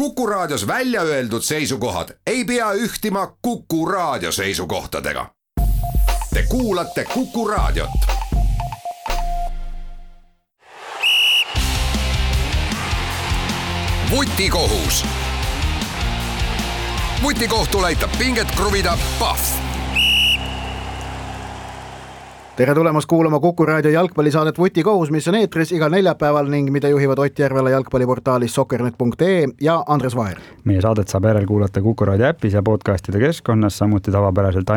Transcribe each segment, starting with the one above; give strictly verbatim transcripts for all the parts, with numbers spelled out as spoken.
Kuku Raadios välja öeldud seisukohad ei pea ühtima Kuku Raadio seisukohtadega. Te kuulate Kuku Raadiot. Vutikohus. Vutikohtul aitab pinget kruvida Pahv. Tere tulemast kuulama Kuku Raadio jalgpallisaadet Vutikohus, mis on eetris igal neljapäeval ning mida juhivad Ott Järvela jalgpalliportaalis soccernet punkt ee ja Andres Vaher. Meie saadet saab järel kuulata Kuku Raadio äpis ja podcastide keskkonnas, samuti tavapäraselt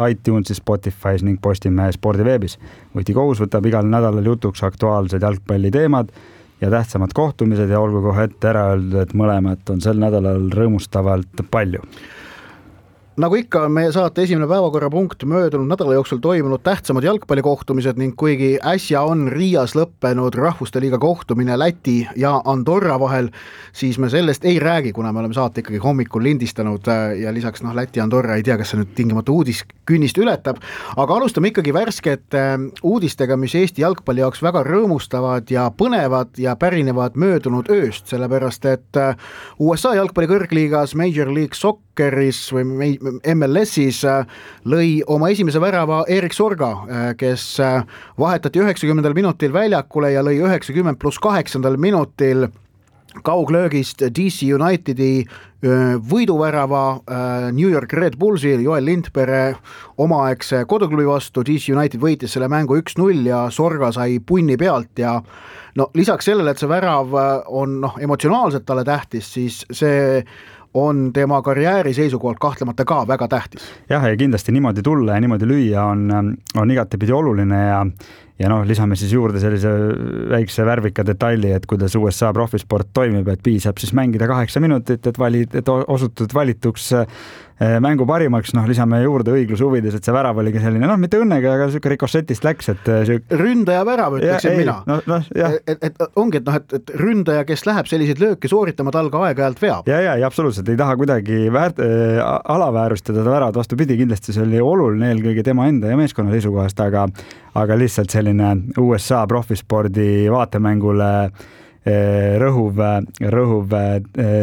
iTunesis, Spotify's ning Postimehe spordiveebis. Vutikohus võtab igal nädalal jutuks aktuaalsed jalgpalliteemad ja tähtsamad kohtumised ja olgu kohe ette ära öeldud, et mõlemat on sel nädalal rõõmustavalt palju. Nagu ikka on meie saate esimene päevakorrapunkt möödunud nädala jooksul toimunud tähtsamad jalgpallikohtumised ning kuigi äsja on Riias lõppenud Rahvuste Liiga kohtumine Läti ja Andorra vahel, siis me sellest ei räägi, kuna me oleme saate ikkagi hommikul lindistanud ja lisaks noh, Läti ja Andorra ei tea, kas see nüüd tingimata uudiskünnist ületab, aga alustame ikkagi värskete uudistega, mis Eesti jalgpalli jaoks väga rõõmustavad ja põnevad ja pärinevad möödunud ööst, sellepärast et U S A jalgpalli kõrgliigas Major League Socceris või M L S-is lõi oma esimese värava Erik Sorga, kes vahetati üheksakümnendal minutil väljakule ja lõi üheksakümmend pluss kaheksandal minutil kauglöögist D C Unitedi võiduvärava New York Red Bullsil Joel Lindpere omaaegse koduklubi vastu. D C United võitis selle mängu üks null ja Sorga sai punni pealt ja no lisaks sellele, et see värav on noh, emotsionaalselt talle tähtis, siis see on tema karjääri seisukohalt kahtlemata ka väga tähtis. Jah, ja kindlasti niimoodi tulla ja niimoodi lüüa on, on igatepidi oluline ja, ja noh, lisame siis juurde sellise väikse värvika detaili, et kuidas U S A profisport toimib, et piisab siis mängida kaheksa minutit, et, valid, et osutud valituks mängu parimaks, noh lisame juurde õigluse huvides, et see värav oligi selline, noh mitte õnnega, aga selline rikossetist läks, et süük... ründaja värav, ütleksin ja, mina. No, no, et, et ongi, et, noh, et, et ründaja, kes läheb selliseid lööke sooritama, talga aeg-ajalt veab. Ja, ja, ja absoluutselt, ei taha kuidagi väärt, äh, alaväärustada ta väravad, vastupidi, kindlasti see oli oluline eelkõige tema enda ja meeskonna seisukohast, aga, aga lihtsalt selline U S A profispordi vaatemängule rõhuv, rõhuv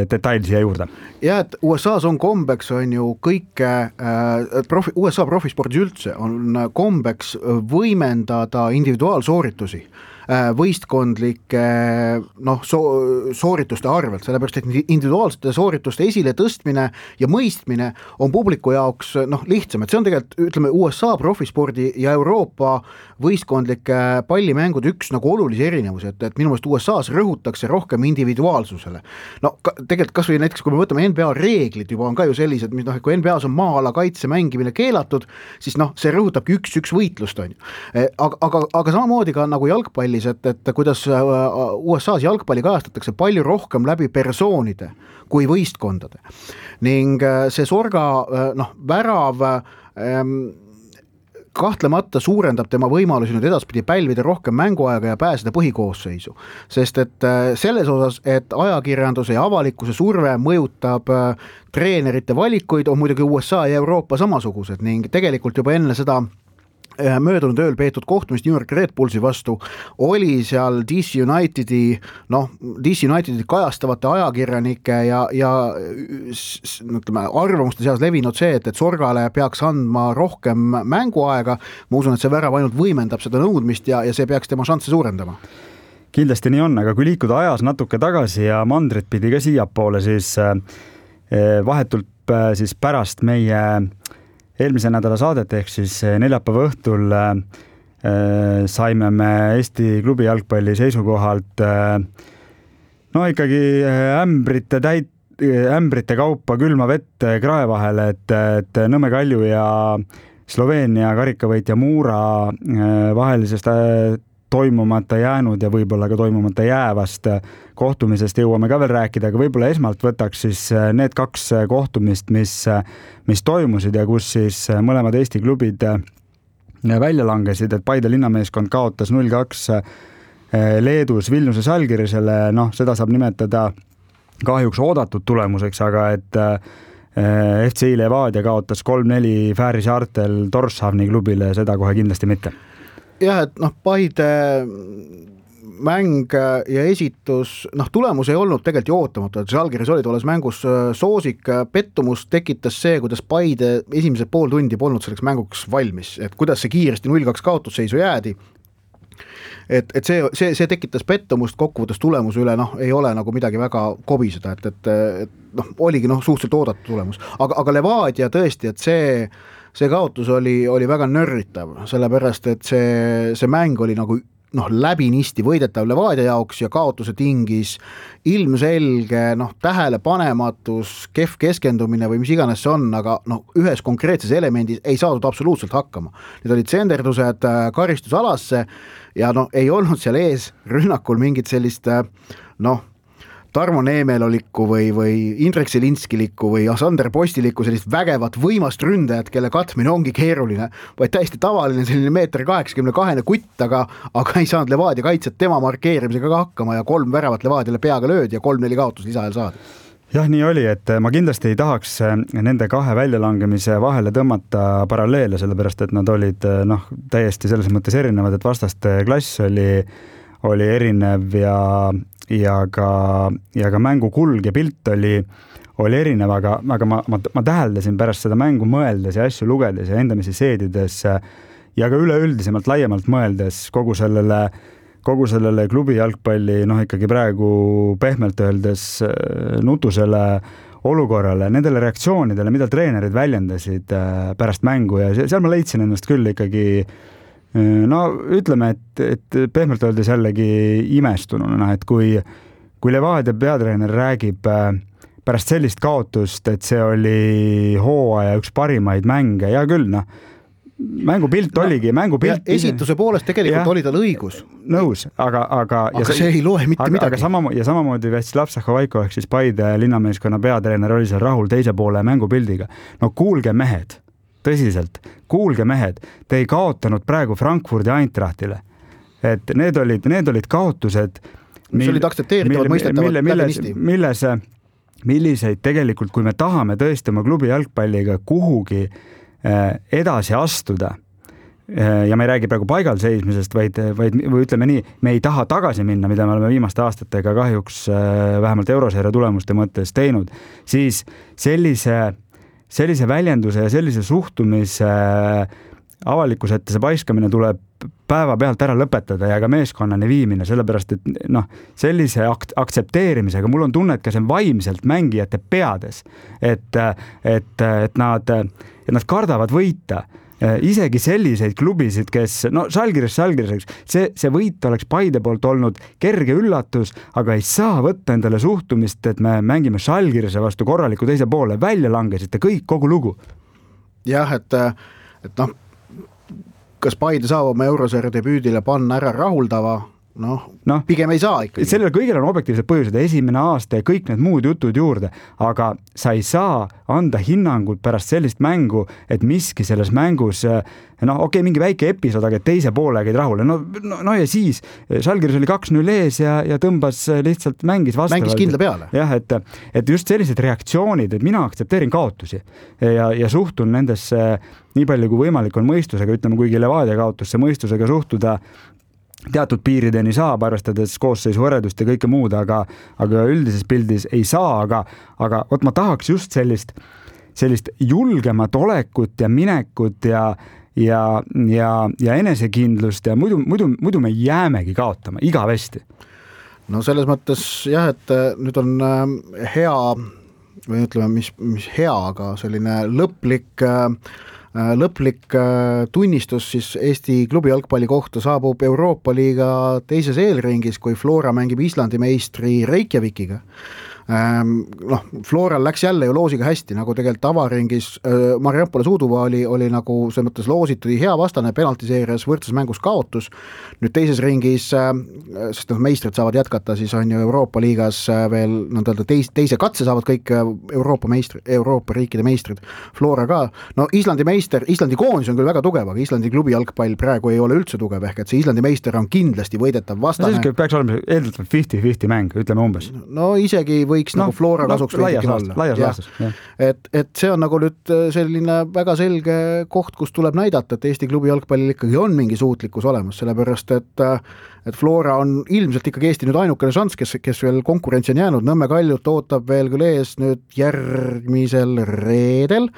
detail siia juurde. Ja, et U S A-s on kombeks, on ju kõike, profi, U S A profispordis üldse on kombeks võimendada individuaalsooritusi võistkondlike noh, so- soorituste arvelt, sellepärast et individuaalsete soorituste esile tõstmine ja mõistmine on publiku jaoks noh, lihtsam, et see on tegelikult, ütleme, U S A profispordi ja Euroopa võistkondlike pallimängud üks nagu olulisi erinevusi, et, et minu meelest U S A-s rõhutakse rohkem individuaalsusele. No ka, tegelikult kas või näiteks, kui me võtame N B A reeglid juba on ka ju sellised, mis noh, kui N B A-s on maa-ala kaitse mängimine keelatud, siis noh, see rõhutabki üks-üks võitlust, on ju. Aga, aga, aga samamoodi ka nagu jalgpalli Et, et kuidas U S A-s jalgpalli kajastatakse palju rohkem läbi persoonide kui võistkondade. Ning see Sorga noh, värav ähm, kahtlemata suurendab tema võimalusi nüüd edaspidi pälvida rohkem mänguaega ja pääseda põhikoosseisu. Sest et selles osas, et ajakirjanduse ja avalikkuse surve mõjutab treenerite valikuid, on muidugi U S A ja Euroopa samasugused ning tegelikult juba enne seda möödunud ööl peetud kohtumist New York Red Bullsi vastu oli seal D C Unitedi noh, D C Unitedi kajastavate ajakirjanike ja, ja ütleme, arvamuste seas levinud see, et, et Sorgale peaks andma rohkem mänguaega. Ma usun, et see värav ainult võimendab seda nõudmist ja, ja see peaks tema šansse suurendama. Kindlasti nii on, aga kui liikuda ajas natuke tagasi ja mandrit pidi ka siiapoole, siis vahetult siis pärast meie eelmise nädala saadet ehk siis neljapäeva õhtul äh, saime me Eesti klubi jalgpalli seisukohalt äh, no ikkagi ämbrite, täit, ämbrite kaupa külma vett krae vahele, et, et Nõmme Kalju ja Sloveenia karikavõitja Muura äh, vahelisest äh, toimumata jäänud ja võib-olla ka toimumata jäävast kohtumisest jõuame ka veel rääkida, aga võib-olla esmalt võtaks siis need kaks kohtumist, mis, mis toimusid ja kus siis mõlemad Eesti klubid välja langesid, et Paide linnameeskond kaotas null kaks Leedus Vilniuse Žalgirisele, noh, seda saab nimetada kahjuks oodatud tulemuseks, aga et F C Levadia kaotas kolm neli Fääri saartel Torshavni klubile, seda kohe kindlasti mitte. Jah, et noh, Paide mäng ja esitus, noh tulemus ei olnud tegelikult ju ootamatu, et Žalgiris oli tolles mängus soosik, pettumust tekitas see, kuidas Paide esimesed pool tundi polnud selleks mänguks valmis, et kuidas see kiiresti null kaks kaotusseisu jäädi, et, et see, see, see tekitas pettumust kokkuvõttes tulemuse üle, noh ei ole nagu midagi väga kobiseda, et, et, et noh, oligi noh suhteliselt oodatud tulemus, aga, aga Levadia tõesti, et see see kaotus oli, oli väga nörritav, sellepärast, et see, see mäng oli nagu noh, läbinisti võidetav Levadia jaoks ja kaotuse tingis ilmselge noh, tähelepanematus, kehv keskendumine või mis iganes see on, aga noh, ühes konkreetses elemendis ei saadud absoluutselt hakkama. Need olid senderdused karistusalasse ja noh, ei olnud seal ees rünnakul mingit sellist noh, Tarmo Neemelolikku või, või Indrek Selinskilikku või Sander Postilikku sellist vägevat võimast ründajat, kelle katmine ongi keeruline, vaid täiesti tavaline selline meeter kaheksakümne kahene kutt, aga, aga ei saanud Levadia kaitset tema markeerimisega ka hakkama ja kolm väravat Levadiale peaga löödi ja kolm-neli kaotus lisaajal saadi. Jah, nii oli, et ma kindlasti ei tahaks nende kahe väljalangemise vahele tõmmata paralleele, sellepärast et nad olid noh, täiesti selles mõttes erinevad, et vastaste klass oli, oli erinev ja ja ka, ja ka mängu kulg ja pilt oli, oli erinev, aga, aga ma, ma, ma täheldasin pärast seda mängu mõeldes ja asju lugedes ja endamisi seedides ja ka üleüldisemalt laiemalt mõeldes kogu sellele, kogu sellele klubi jalgpalli, noh ikkagi praegu pehmelt öeldes nutusele olukorrale, nendele reaktsioonidele, mida treenerid väljendasid pärast mängu ja seal ma leidsin ennast küll ikkagi no ütleme, et, et pehmelt öeldes jällegi imestununa, et kui, kui Levadia peatreener räägib pärast sellist kaotust, et see oli hooaja üks parimaid mänge, ja küll, noh, mängupilt no, oligi, mängupilt. Esituse poolest tegelikult ja, oli tal õigus. Nõus, aga, aga, aga ja see ei loe mitte aga, midagi. Aga sama, ja samamoodi Vjatsslav Sahovaiko ehk siis Paide linnameeskonna peatreener oli seal rahul teise poole mängupildiga. No kuulge mehed, tõsiselt, kuulge mehed, te ei kaotanud praegu Frankfurdi Eintrachtile. Et need olid, need olid kaotused, mis olid aktsepteeritavad, mõistetavad läbinisti. Milles, milliseid tegelikult, kui me tahame tõesti oma klubi jalgpalliga kuhugi edasi astuda, ja me ei räägi praegu paigal seismisest, vaid, vaid või ütleme nii, me ei taha tagasi minna, mida me oleme viimaste aastatega kahjuks vähemalt euroseeria tulemuste mõttes teinud, siis sellise sellise väljenduse ja sellise suhtumise avalikkuse ette see paiskamine tuleb päeva pealt ära lõpetada ja ka meeskonnani viimine, sellepärast et noh, sellise ak- aktsepteerimisega mul on tunne, et ka see vaimselt mängijate peades, et, et, et, nad, et nad kardavad võita. Isegi selliseid klubisid, kes, no Žalgiris, Žalgiris, see, see võit oleks Paide poolt olnud kerge üllatus, aga ei saa võtta endale suhtumist, et me mängime Žalgirise vastu korraliku teise poole, välja langesite kõik, kogu lugu. Jah, et, et noh, kas Paide saab oma eurosarja debüüdile panna ära rahuldava, noh no, pigem ei saa ikkagi. Sellel kõigil on objektiivsed põhjused, esimene aasta ja kõik need muud jutud juurde, aga sa ei saa anda hinnangut pärast sellist mängu, et miski selles mängus, noh okei, okay, mingi väike episood, aga teise poolega ei rahule. No, no, no ja siis Žalgiris oli kaks null ees ja, ja tõmbas lihtsalt mängis vastavalt. Mängis kindla peale. Jah, et, et just sellised reaktsioonid, et mina aktsepteerin kaotusi ja, ja suhtun nendesse nii palju kui võimalik on mõistusega, ütleme, kuigi Levadia kaotusse mõistusega suhtuda teatud piirideni saab, arvestades koosseisu võredust ja kõike muud, aga, aga üldises pildis ei saa, aga, aga oot, ma tahaks just sellist, sellist julgemat olekut ja minekut ja, ja, ja, ja enesekindlust ja muidu, muidu, muidu me jäämegi kaotama igavesti. No selles mõttes jah, et nüüd on hea või ütleme, mis, mis hea, aga selline lõplik lõplik tunnistus siis Eesti klubi jalgpalli kohta saabub Euroopa liiga teises eelringis, kui Flora mängib Islandi meistri Reykjavikiga. Noh, Floral läks jälle ju loosiga hästi, nagu tegelikult avaringis Mariampole Suuduva oli, oli nagu see mõttes loositud hea vastane penaltiseerias võrdses mängus kaotus. Nüüd teises ringis, sest noh, meistrid saavad jätkata, siis on ju Euroopa liigas veel nõnda teis, teise katse saavad kõik Euroopa meistrid, Euroopa riikide meistrid, Flora ka. No Islandi meister, Islandi koondis on küll väga tugev, aga Islandi klubi jalgpall praegu ei ole üldse tugev, ehk et see Islandi meister on kindlasti võidetav vastane. No, peaks olema eeldatavalt viiskümmend viiskümmend mäng, ütleme umbes. No isegi võiks no, nagu Flora kasuks no, veidikene olla. Laias laastas, jah. Et, et see on nagu nüüd selline väga selge koht, kus tuleb näidata, et Eesti klubi jalgpallil ikkagi on mingi suutlikkus olemas, sellepärast et, et Flora on ilmselt ikkagi Eesti nüüd ainukene šans, kes, kes veel konkurentsi on jäänud. Nõmme Kaljut ootab veel küll ees nüüd järgmisel reedel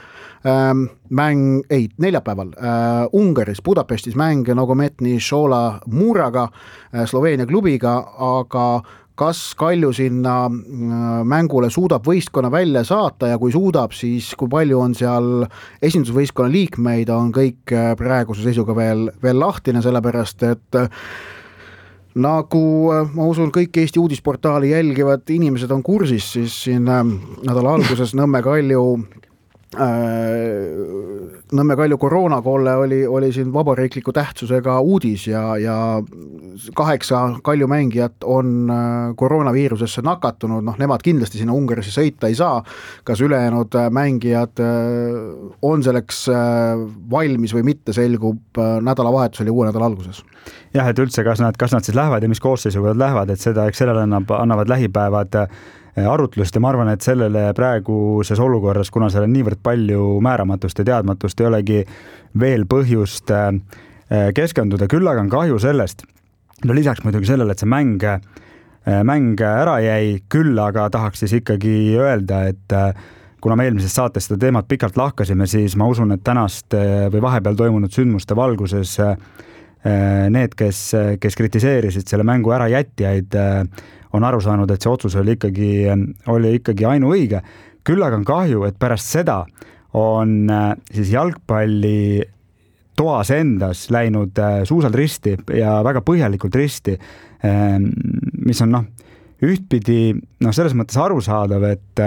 ähm, mäng, ei, neljapäeval äh, Ungaris, Budapestis mäng Nogometni Šola Muraga, äh, Sloveenia klubiga, aga kas Kalju sinna mängule suudab võistkonna välja saata ja kui suudab, siis kui palju on seal esindusvõistkonna liikmeid, on kõik praeguse seisuga veel, veel lahtine, sellepärast et nagu ma usun, kõik Eesti uudisportaali jälgivad inimesed on kursis, siis siin nädala alguses Nõmme Kalju Nõmme Kalju koroonakolle oli, oli siin vabariikliku tähtsusega uudis ja, ja kaheksa Kalju mängijat on koroonaviirusesse nakatunud, noh nemad kindlasti sinna Ungarisse sõita ei saa, kas ülejäänud mängijad on selleks valmis või mitte, selgub nädalavahetusel ja uue nädala alguses. Jah, et üldse, kas nad, kas nad siis lähevad ja mis koosseisuga nad lähevad, et seda, eks sellele annab, annavad lähipäevad arutlust ja ma arvan, et sellele praeguses olukorras, kuna seal on niivõrd palju määramatust ja teadmatust, ei olegi veel põhjust keskenduda, küll aga on kahju sellest, no lisaks muidugi sellele, et see mäng, mäng ära jäi, küll aga tahaks siis ikkagi öelda, et kuna me eelmises saates seda teemat pikalt lahkasime, siis ma usun, et tänast või vahepeal toimunud sündmuste valguses need, kes, kes kritiseerisid selle mängu ära jätjaid, on aru saanud, et see otsus oli ikkagi, oli ikkagi ainuõige. Küll aga on kahju, et pärast seda on siis jalgpalli toas endas läinud suusalt risti ja väga põhjalikult risti, mis on noh, ühtpidi noh, selles mõttes arusaadav, et,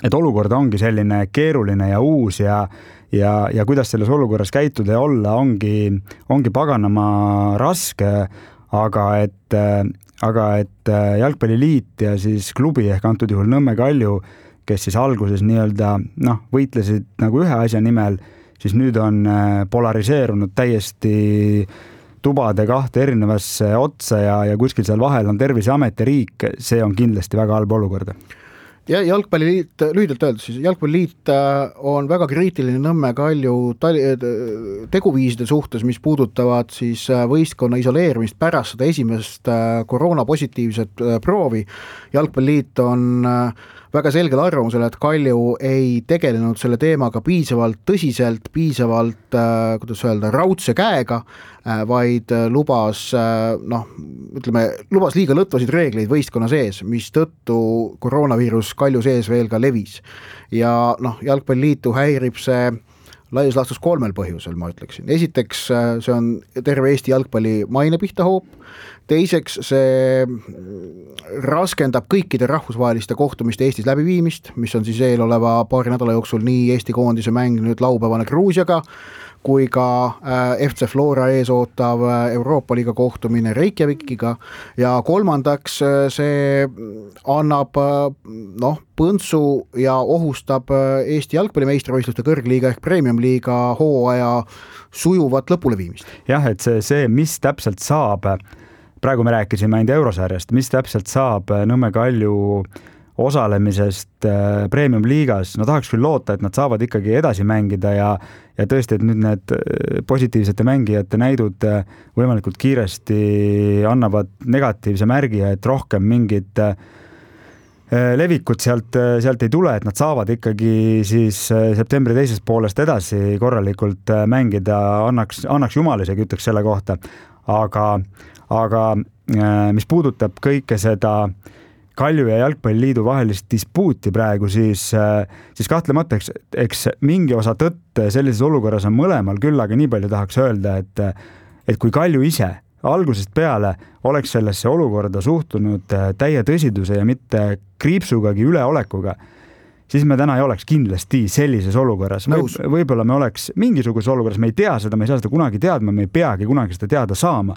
et olukord ongi selline keeruline ja uus ja, ja, ja kuidas selles olukorras käituda ja olla ongi, ongi paganama raske, aga et aga et jalgpalliliit ja siis klubi ehk antud juhul Nõmme Kalju, kes siis alguses nii-öelda noh, võitlesid nagu ühe asja nimel, siis nüüd on polariseerunud täiesti tubade kahte erinevasse otsa ja, ja kuskil seal vahel on Terviseamet ja riik, see on kindlasti väga halb olukorda. Ja jalgpalliliit, lühidalt öeldes, siis jalgpalliliit on väga kriitiline Nõmme Kalju teguviiside suhtes, mis puudutavad siis võistkonna isoleerimist pärast seda esimest koroonapositiivset proovi. Jalgpalliliit on väga selgel arvamusel, et Kalju ei tegelenud selle teemaga piisavalt tõsiselt, piisavalt, kuidas öelda, raudse käega, vaid lubas, noh, ütleme, lubas liiga lõtvasid reegleid võistkonna sees, mis tõttu koroonaviirus Kalju sees veel ka levis. Ja noh, jalgpalliliitu häirib see laias laastus kolmel põhjusel, ma ütleksin. Esiteks, see on terve Eesti jalgpalli maine pihta hoop. Teiseks, see raskendab kõikide rahvusvaheliste kohtumiste Eestis läbiviimist, mis on siis eeloleva paari nädala jooksul nii Eesti koondise mäng nüüd laupäevane Gruusiaga, kui ka F C Flora ees ootav Euroopa liiga kohtumine Reykjavikiga ja kolmandaks see annab noh, põntsu ja ohustab Eesti jalgpallimeistrivõistluste kõrgliiga ehk premium-liiga hooaja sujuvat lõpuleviimist. Jah, et see, see, mis täpselt saab, praegu me rääkisime ainult eurosarjast, mis täpselt saab Nõmme Kalju osalemisest premium-liigas, no tahaks küll loota, et nad saavad ikkagi edasi mängida ja, ja tõesti, et nüüd need positiivsete mängijate näidud võimalikult kiiresti annavad negatiivse märgi ja et rohkem mingit levikut sealt, sealt ei tule, et nad saavad ikkagi siis septembri teisest poolest edasi korralikult mängida, annaks, annaks jumal isegi ütleks selle kohta, aga, aga mis puudutab kõike seda Kalju ja Jalgpalliliidu vahelist dispuuti praegu, siis, siis kahtlemata, eks, eks mingi osa tõtt sellises olukorras on mõlemal, küll aga nii palju tahaks öelda, et, et kui Kalju ise algusest peale oleks sellesse olukorda suhtunud täie tõsiduse ja mitte kriipsugagi üleolekuga, siis me täna ei oleks kindlasti sellises olukorras. Võib, võib-olla me oleks mingisuguses olukorras, me ei tea seda, me ei saa seda kunagi teadma, me ei peagi kunagi seda teada saama,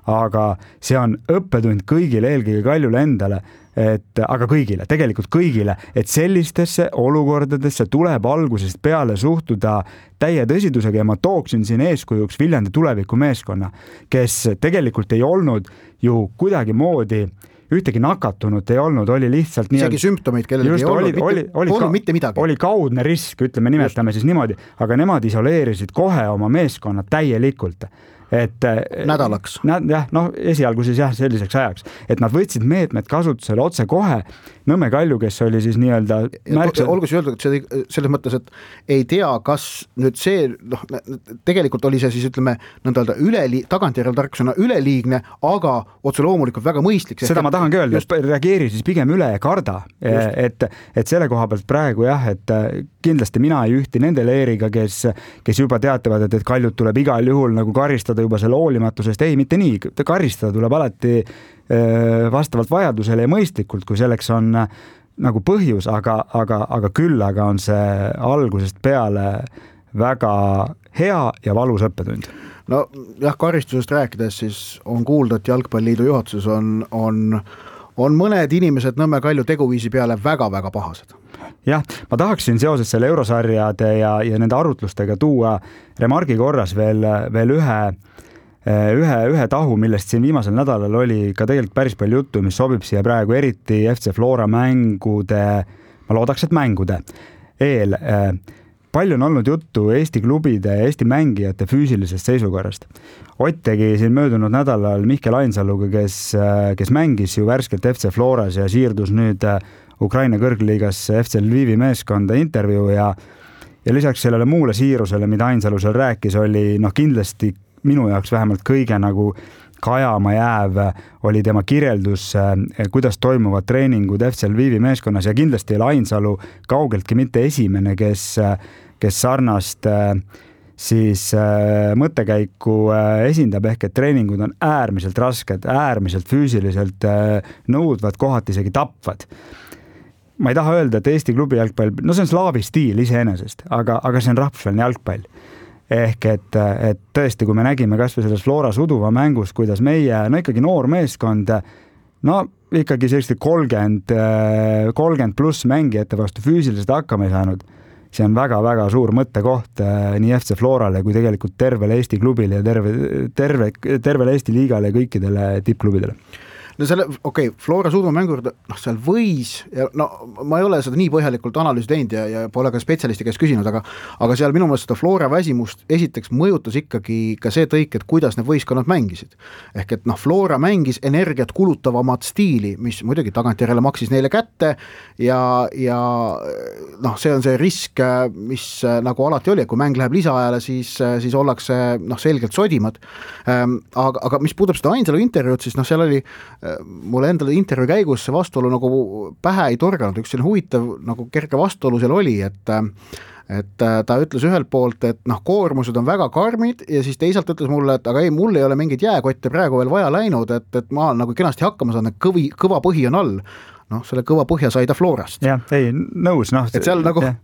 aga see on õppetund kõigile, eelkõige Kaljule endale, et, aga kõigile, tegelikult kõigile, et sellistesse olukordadesse tuleb algusest peale suhtuda täie tõsidusega ja ma tooksin siin eeskujuks Viljandi tuleviku meeskonna, kes tegelikult ei olnud ju kuidagi moodi ühtegi nakatunut ei olnud, oli lihtsalt nii isegi sümptomeid kellelgi ei olnud, oli, mitte, oli, oli, olnud mitte midagi. Oli kaudne risk, ütleme, nimetame just. Siis niimoodi, aga nemad isoleerisid kohe oma meeskonnad täielikult. Et, nädalaks. Jah, noh, esialgu siis jah, selliseks ajaks, et nad võtsid meetmed kasutusele otse kohe. Nõmme Kalju, kes oli siis nii-öelda märksa... olgu see öeldud, et see, selles mõttes, et ei tea, kas nüüd see, noh, tegelikult oli see siis, ütleme, nõnda üleli, tagantjärel tarkusena üleliigne, aga otse loomulikult väga mõistlik. Seda ma tahangi öelda, just... et reageeri siis pigem üle ja karda, et, et selle koha pealt praegu jah, et kindlasti mina ei ühti nende leeriga, kes, kes juba teatavad, et, et Kaljut tuleb igal juhul nagu karistada juba selle hoolimatusest, ei, mitte nii, karistada tuleb alati vastavalt vajadusele ja mõistlikult, kui selleks on nagu põhjus, aga, aga, aga küll, aga on see algusest peale väga hea ja valus õppetund. No jah, karistusest rääkides siis on kuulda, et Jalgpalliliidu juhatuses on, on, on mõned inimesed Nõmme Kalju teguviisi peale väga-väga pahased. Jah, ma tahaksin seoses selle eurosarjade ja, ja nende arutlustega tuua remargi korras veel, veel ühe ühe, ühe tahu, millest siin viimasel nädalal oli ka tegelikult päris palju juttu, mis sobib siia praegu eriti F C Flora mängude, ma loodaks, et mängude eel. Palju on olnud juttu Eesti klubide ja Eesti mängijate füüsilisest seisukorrast. Ott tegi siin möödunud nädalal Mihkel Ainsaluga, kes, kes mängis ju värskelt F C Floras ja siirdus nüüd Ukraina kõrgliigas F C Lvivi meeskonda intervjuu ja, ja lisaks sellele muule siirusele, mida Ainsalu seal rääkis, oli noh kindlasti minu jaoks vähemalt kõige nagu kajama jääv oli tema kirjeldus, kuidas toimuvad treeningud F C Lvivi meeskonnas ja kindlasti oli Ainsalu kaugeltki mitte esimene, kes, kes sarnast siis mõttekäiku esindab ehk, et treeningud on äärmiselt rasked, äärmiselt füüsiliselt nõudvad, kohati isegi tapvad. Ma ei taha öelda, et Eesti klubi jalgpall, no see on slaavi stiil iseenesest, aga, aga see on rahvusvaheline jalgpall. Ehk et, et tõesti, kui me nägime kas või selles Flora Suduva mängus, kuidas meie, no ikkagi noor meeskond, no ikkagi selliste kolmkümmend, kolmkümmend pluss mängijate vastu füüsiliselt hakkama ei saanud, see on väga-väga suur mõttekoht nii F C Florale kui tegelikult tervele Eesti klubile ja terve, terve, tervele Eesti liigale ja kõikidele tippklubidele. No selle, okei, okay, Flora Suduva mängur, noh, seal võis, ja no ma ei ole seda nii põhjalikult analüüsi teinud ja, ja pole ka spetsialisti käest küsinud, aga, aga seal minu meelest seda Flora väsimust esiteks mõjutas ikkagi ka see tõik, et kuidas need võistkonnad mängisid. Ehk et noh, Flora mängis energiat kulutavamat stiili, mis muidugi tagantjärele maksis neile kätte ja, ja noh, see on see risk, mis nagu alati oli, et kui mäng läheb lisaajale, siis, siis ollakse noh, selgelt sodimad. Aga, aga mis puudub seda Ainsalu intervjuud, siis noh, seal oli mulle endale intervjuu käigus see vastuolu nagu pähe ei torganud, üks selline huvitav nagu kerge vastuolu seal oli, et et ta ütles ühelt poolt, et noh, koormused on väga karmid ja siis teisalt ütles mulle, et aga ei, mul ei ole mingit jääkotte praegu veel vaja läinud, et, et ma nagu kenasti hakkama saan, et kõvi, kõva põhi on all. Noh, selle kõva põhja sai ta Florast. Jah, ei, nõus. No, et seal nagu... Ja.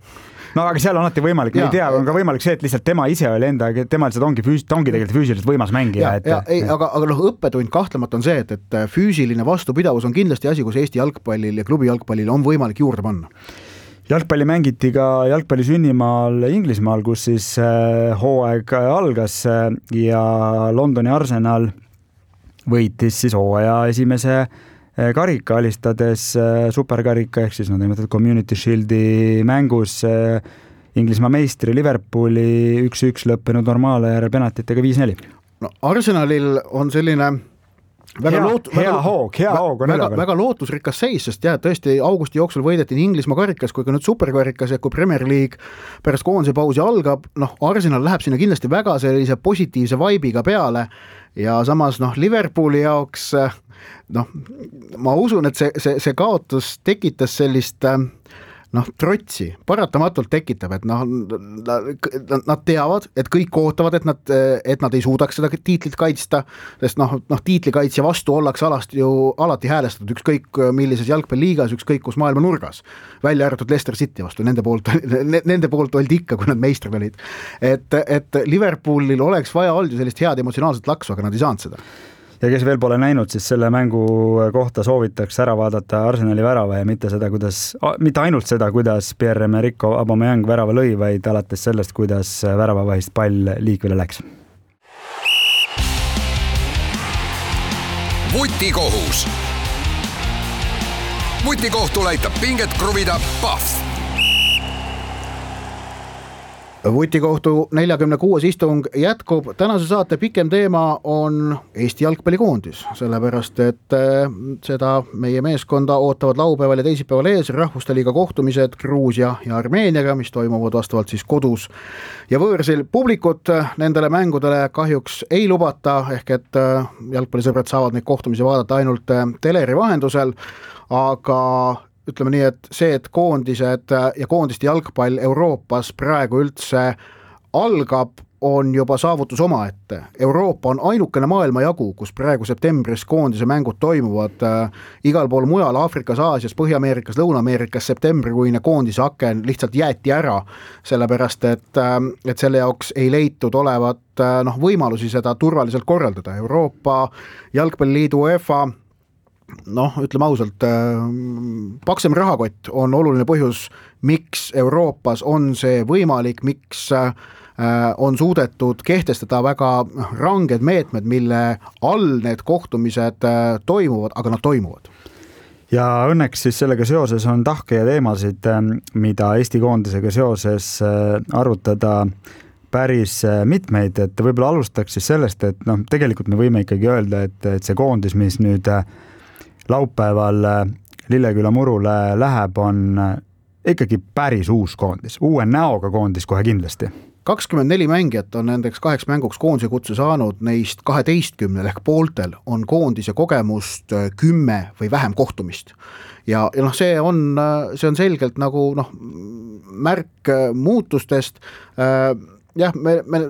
No aga seal on alati võimalik, ei tea, on ka võimalik see, et lihtsalt tema ise oli enda, tema lihtsalt ongi, füüs, ta ongi tegelikult füüsiliselt võimas mängija. Ja, et, ja, ei, aga, aga noh, õppetund kahtlemata on see, et, et füüsiline vastupidavus on kindlasti asi, kus Eesti jalgpallil ja klubi jalgpallil on võimalik juurde panna. Jalgpalli mängiti ka jalgpalli sünnimaal Inglismaal, kus siis hooaeg algas ja Londoni Arsenal võitis siis hooaja esimese karika alistades superkarika ehk siis no nimetatud Community Shieldi mängus Inglismaa meistri Liverpooli üks-üks lõppenud normaale järel penaltitega viis neli. No Arsenalil on selline väga, hea, loot, hea väga, hoog, hea hoog on väga, väga lootusrikas seis, sest jah, tõesti augusti jooksul võideti nii Inglismaa karikas kui ka nüüd superkarikas ja kui Premier League pärast koondise pausi algab, noh Arsenal läheb sinna kindlasti väga sellise positiivse vaibiga peale ja samas noh Liverpooli jaoks noh, ma usun, et see, see, see kaotus tekitas sellist noh, trotsi, paratamatult tekitab, et noh, nad teavad, et kõik ootavad, et nad, et nad ei suudaks seda tiitlit kaitsta, sest noh, noh tiitlikaitsja vastu ollakse alati ju alati häälestatud, ükskõik millises jalgpalliliigas, ükskõik kus maailma nurgas, välja arvatud Leicester City vastu, nende poolt, nende poolt oldi ikka, kui nad meistrid olid. Et, et Liverpoolil oleks vaja olnud ju sellist head emotsionaalset laksu, aga nad ei saanud seda. Ja kes veel pole näinud, siis selle mängu kohta soovitaks ära vaadata Arsenali värava ja mitte seda, kuidas, mitte ainult seda, kuidas Pierre-Emerick Aubameyang värava lõi, vaid alates sellest, kuidas väravavahist pall liikvele läks. Vutikohus. vutikohtul aitab pinget kruvida Pahv. Vutikohtu neljakümne kuues istung jätkub. Tänase saate pikem teema on Eesti jalgpallikoondis, sellepärast et seda meie meeskonda ootavad laupäeval ja teisipäeval ees Rahvuste Liiga kohtumised Gruusia ja Armeeniaga, mis toimuvad vastavalt siis kodus ja võõrsil. Publikut nendele mängudele kahjuks ei lubata, ehk et jalgpallisõbrad saavad neid kohtumisi vaadata ainult teleri vahendusel, aga ütleme nii, et see, et koondised ja koondiste jalgpall Euroopas praegu üldse algab, on juba saavutus omaette. Euroopa on ainukene maailmajagu, kus praegu septembris koondise mängud toimuvad. Igal pool mujal, Aafrikas, Aasias, Põhja-Ameerikas, Lõuna-Ameerikas septembrikuine koondise aken lihtsalt jäeti ära, sellepärast et, et selle jaoks ei leitud olevat noh, võimalusi seda turvaliselt korraldada. Euroopa Jalgpalliliidu UEFA noh, ütleme ausalt, paksem rahakott on oluline põhjus, miks Euroopas on see võimalik, miks on suudetud kehtestada väga ranged meetmed, mille all need kohtumised toimuvad, aga nad toimuvad. Ja õnneks siis sellega seoses on tahke ja teemasid, mida Eesti koondisega seoses arutada päris mitmeid, et võib-olla alustaks siis sellest, et noh, tegelikult me võime ikkagi öelda, et, et see koondis, mis nüüd laupäeval Lilleküla murule läheb, on ikkagi päris uus koondis, uue näoga koondis kohe kindlasti. kakskümmend neli mängijat on nendeks kaheks mänguks koondise kutse saanud, neist kaheteistkümnel ehk pooltel on koondise kogemust kümme või vähem kohtumist. Ja, ja noh, see on, see on selgelt nagu noh, märk muutustest. Jah, me, me